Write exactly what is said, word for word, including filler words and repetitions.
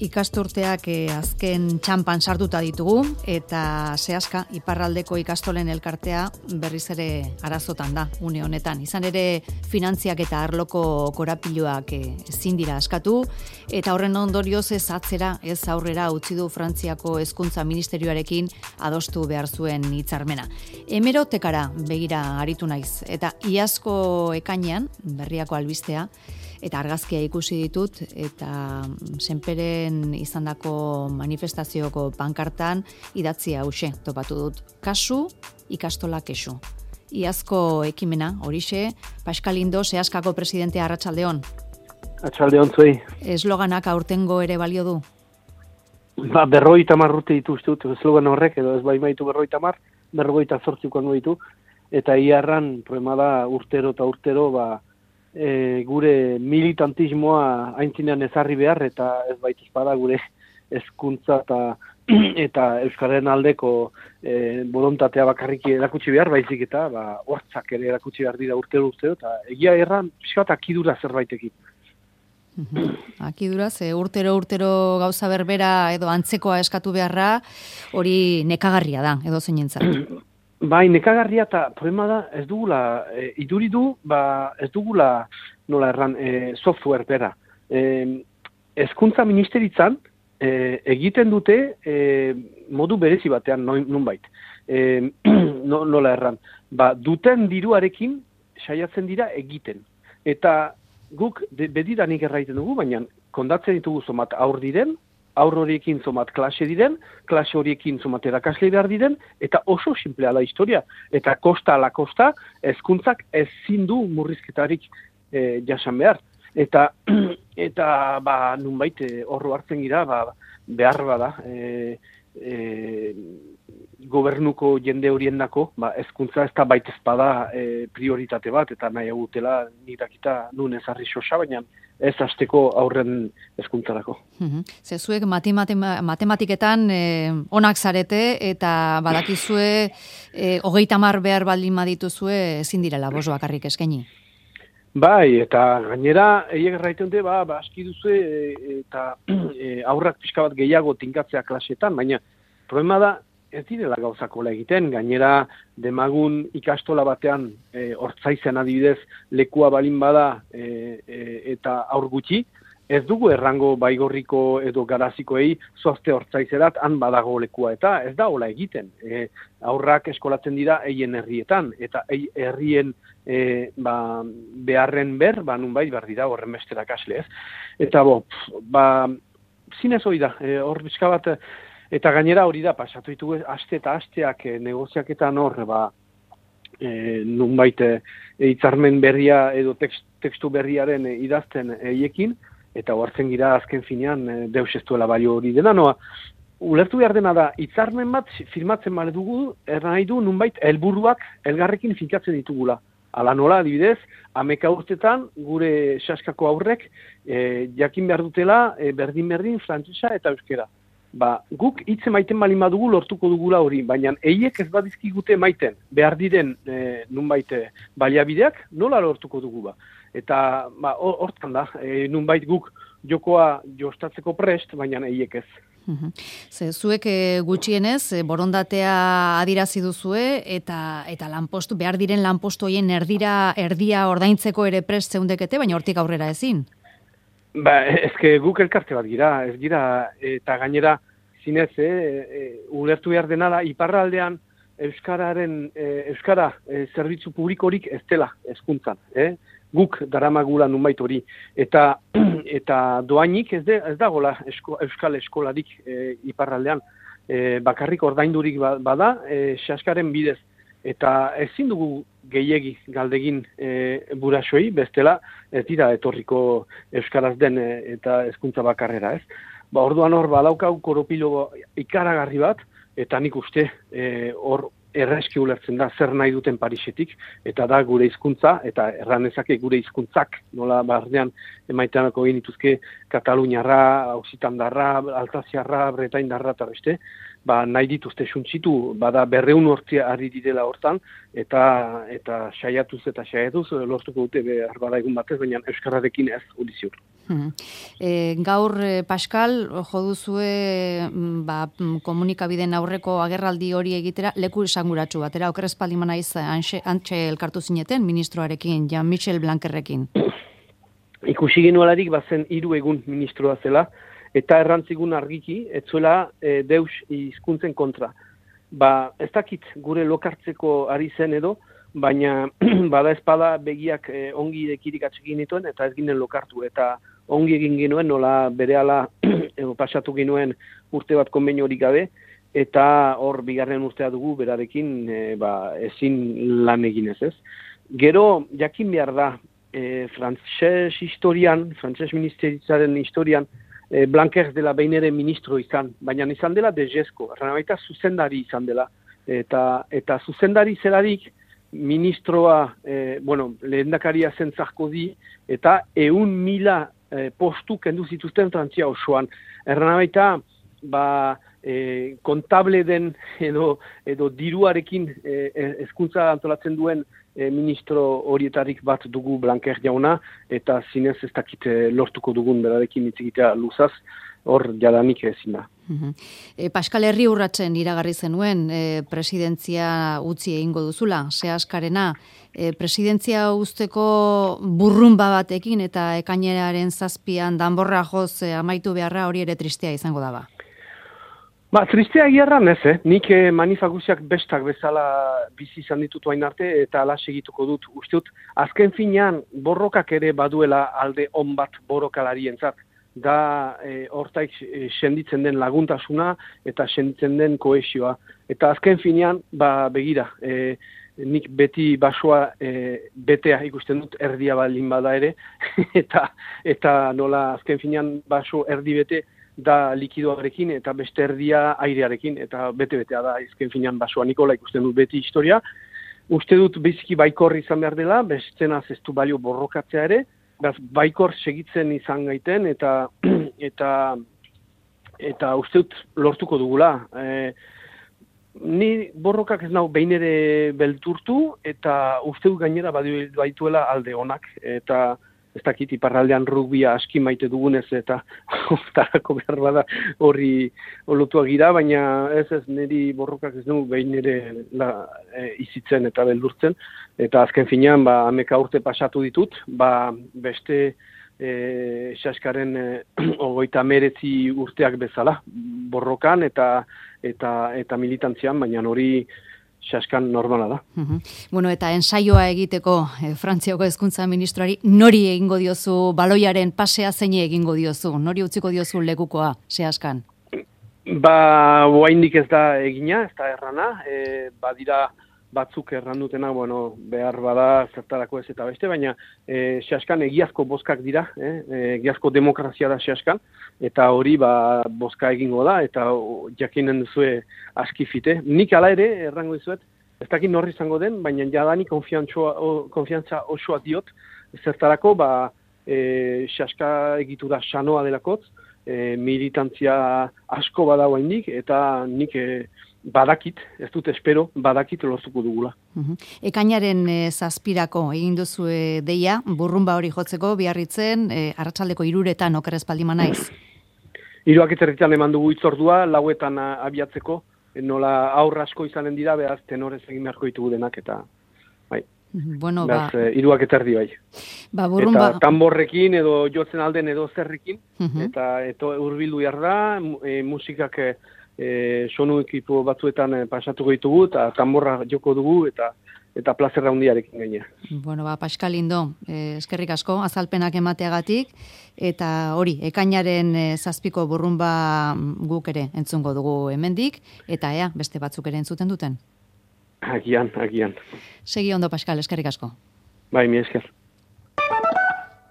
Ikasturteak eh, azken txampan sartuta ditugu eta zehaska iparraldeko ikastolen elkartea berriz ere arazotan da une honetan. Izan ere finantziak eta arloko korapiloak eh, ezin dira askatu eta horren ondorioz ez atzera ez aurrera utzi du Frantziako Hezkuntza Ministerioarekin adostu behar zuen hitzarmena. Hemerotekara begira aritu naiz eta iazko ekainean berriako albistea eta argazkia ikusi ditut, eta senperen izandako manifestazioko pankartan idatzi hauxe topatu dut. Kasu, ikastola kexu. Iazko ekimena, horixe, Pascal Indo, zehaskako presidentea, arratsaldeon. Arratsaldeon zuei. Esloganak aurtengo ere balio du? Ba, berrogeita hamar urte dituztut, eslogan horrek, edo ez baimaitu berrogeita hamar, berrogeita zortzikoan ditu, eta iarran, problema da, urtero eta urtero, ba, E, gure militantismoa aintzinean ezarri behar, eta ez baita espada gure hezkuntza eta eta euskararen aldeko e, bolontatea bakarrik erakutsi behar, baizik eta ba, hortzak ere erakutsi behar dira urtero urtero, eta egia erran pixkat akidura zerbaitekin. Akidura, ze urtero urtero gauza berbera edo antzekoa eskatu beharra, hori nekagarria da, edo zeinentzat. Bai, nekagarria eta problema da, ez dugula, e, iduri du, ba, ez dugula, nola erran, e, software bera. E, Hezkuntza ministeritzan e, egiten dute e, modu berezi batean, nonbait. E, no, nola erran, ba, duten diruarekin saiatzen dira egiten. Eta guk de, bedidanik erraiten dugu, baina kondatzen ditugu zomat aur diren, aur horiekin zomat klase diren, klase horiekin zomat erakasle behar diren, eta oso simplea da historia. Eta kosta ala kosta, hezkuntzak ezin du murrizketarik e, jasan behar. Eta, eta ba, nunbait, horro hartzen gira, ba, behar bada, e, e, gobernuko jende horiendako, ba, hezkuntza ez da baita ezpada e, prioritate bat, eta nahi agutela nirakita nun ezarri xosa, baina ez hasteko aurren hezkuntzarako. Ze zuek matematiketan eh, onak zarete eta badakizue eh, hogeita hamar behar baldin badituzue ezin direla bost bakarrik eskaini. Bai, eta gainera eiek erraiten dute, ba, ba aski duzue e, eta e, aurrak pixka bat gehiago tinkatzea klasetan, baina problema da ez direla gauzakola egiten, gainera demagun ikastola batean e, hortzaizen adibidez lekua balin bada e, e, eta aur gutxi, ez dugu errango baigorriko edo garazikoei zoazte hortzaizerat han badago lekua, eta ez da hola egiten. E, aurrak eskolatzen dira eien herrietan, eta ei, herrien e, ba, beharren ber, ba nunbait behar dira horren besterak asle ez. Eta bo, ba, zinez hori da, e, hor bizka bat, eta gainera hori da, pasatu ditugu aste eta asteak e, negoziaketan hor, ba, e, nunbait hitzarmen berria edo tekst, tekstu berriaren e, idazten eiekin, eta hoartzen gira azken finean e, deus ez duela balio hori dena, noa, ulertu behar dena da, hitzarmen bat firmatzen bale dugu, erra nahi du nunbait helburuak elgarrekin finkatzen ditugula. Ala nola, adibidez, ameka urtetan gure saskako aurrek e, jakin behar dutela e, berdin-berdin frantsesa eta euskera. Ba, guk hitz maiten balin badugu lortuko dugula hori, baina eiek ez badizkigute maiten behar diren e, nunbait baliabideak nola lortuko dugu ba. Eta ba, hortan da, e, nunbait guk jokoa jostatzeko prest, baina eiek ez. Ze zuek gutxienez borondatea adirazi duzue eta eta lanpostu behar diren lanpostu hoien erdira erdia ordaintzeko ere prest zeundekete, baina hortik aurrera ezin. Ba, ezke guk elkarte bat gira, ez gira, eta gainera zinez, e, e, ulertu behar dena da, iparraldean euskararen, e, euskara e, zerbitzu publikorik ez dela hezkuntzan, eh? Guk daramagula nunbait hori, eta eta doainik ez, de, ez dagoela esko, euskal eskolarik e, iparraldean, e, bakarrik ordaindurik bada, e, saskaren bidez, eta ezin dugu gehiegi galdegin e, buraxoi, bestela ez dira etorriko euskaraz den e, eta hezkuntza bakarrera, ez? Ba, orduan hor badaukau koropilo ikaragarri bat, eta nik uste hor e, erreski ulertzen da zer nahi duten Parisetik, eta da gure hizkuntza eta erranezake gure hizkuntzak, nola bardean emaiteanako egin dituzke Kataluniarra, Ausitandarra, Altaziarra, Bretaindarra eta beste, ba, nahi dituzte suntzitu, bada berreun hortzia ari direla hortan, eta eta saiatuz eta saiatuz lortuko dute behar bada egun batez, baina Euskararekin ez hori ziur. Hmm. E, gaur, e, Pascal, jo duzue ba, komunikabideen aurreko agerraldi hori egitera leku esanguratsu batera, okerrez palima naiz antxe elkartu zineten ministroarekin, Jean-Michel Blanquerrekin. Ikusi genuelarik bazen hiru egun ministroa zela, eta errantzigun argiki, etzuela e, deus hizkuntzen kontra. Ba, ez dakit gure lokartzeko ari zen edo, baina bada espada begiak e, ongi irekirik atxekin dituen, eta ez ginen lokartu, eta ongi egin genuen, nola berehala pasatu genuen urte bat konbenio hori gabe, eta hor bigarren urtea dugu berarekin e, ba, ezin lan eginez ez. Gero, jakin behar da, e, frantses historian, frantses ministeritzaren historian, E, Blanquer dela behin ere ministro izan, baina izan dela dejesko, erran baita zuzendari izan dela. Eta, eta zuzendari zelarik ministroa, e, bueno, lehendakaria zentzako di, eta eun mila e, postu kendu zituzten Frantzia osoan. Erran baita, ba, e, kontable den edo, edo diruarekin e, hezkuntza antolatzen duen E, ministro horietarik bat dugu Blanquer jauna, eta zinez ez dakit lortuko dugun berarekin hitzigitea luzaz, hor jadanik ezin da. Uh-huh. e, Pascal Herri urratzen iragarri zenuen e, presidentzia utzi egingo duzula, Seaskarena, e, presidentzia usteko burrumba batekin eta ekaineraren zazpian danborra joz e, amaitu beharra hori ere tristea izango daba. Ba, tristea gierran ez, eh? Nik eh, manifaguziak bestak bezala bizi izan ditut hain arte eta ala segituko dut. Uste dut, azken finean borrokak ere baduela alde on bat borrokalarientzat. Da eh, hortaik eh, senditzen den laguntasuna eta senditzen den kohesioa. Eta azken finean, ba, begira, eh, nik beti basoa eh, betea ikusten dut erdia baldin bada ere, eta, eta nola azken finean baso erdi bete, da likidoarekin eta beste erdia airearekin, eta bete-betea da izken finean basoa Nikola ikusten dut beti historia. Uste dut biziki baikor izan behar dela, bestenaz ez du balio borrokatzea ere, behaz baikor segitzen izan gaiten, eta eta eta uste dut lortuko dugula. E, ni borrokak ez nau behin ere belturtu, eta uste dut gainera baituela alde onak, eta ez dakit iparraldean rugbia aski maite dugunez eta tarako behar bada horri olotua gira, baina ez ez niri borrokak ez dugu behin ere la, e, izitzen eta beldurtzen. Eta azken finean, ba, ameka urte pasatu ditut, ba, beste e, Seaskaren e, ogoita meretzi urteak bezala, borrokan eta, eta, eta militantzian, baina hori Seaskan normala da. Uh-huh. Bueno, eta ensaioa egiteko eh, Frantziako hezkuntza ministroari nori egingo diozu baloiaren pasea zein egingo diozu? Nori utziko diozu lekukoa Seaskan? Ba, oraindik ez da egina, ez da errana, e, badira batzuk errandutena, bueno, behar bada zertarako ez eta beste, baina e, Seaskan egiazko bozkak dira, eh? egiazko demokrazia da Seaskan, eta hori ba, bozka egingo da, eta o, jakinen duzue aski fite. Nik ala ere, errango dizuet, ez dakit norri izango den, baina jadani konfiantza osoa diot, zertarako, ba, e, Seaska egitu da sanoa delakotz, e, militantzia asko badagoa indik, eta nik e, badakit, ez dut espero, badakit lortuko dugula. Uhum. Ekainaren e, zazpirako egin duzu e, deia, burrumba hori jotzeko, biarritzen, e, arratsaldeko iruretan okerrez paldima naiz. Iruak eterritan eman dugu itzordua, lauetan a, abiatzeko, nola aurra asko izanen dira, behaz tenorez egin beharko ditugu denak, eta bai. Bueno, behaz, ba... e, iruak eterdi bai. Ba, burrumba... Eta tamborrekin edo jotzen alden edo zerrikin, uhum. eta eto urbildu behar da, e, musikak e, e, sonu ekipo batzuetan e, pasatuko ditugu, eta tamborra joko dugu, eta eta plazerra hundiarekin gainera. Bueno, ba, Pascal Lindo, eh, eskerrik asko, azalpenak emateagatik, eta hori, ekainaren eh, zazpiko burrumba guk ere entzungo dugu hemendik, eta ea, beste batzuk ere entzuten duten. Agian, agian. Segi ondo, Pascal, eskerrik asko. Bai, mi esker.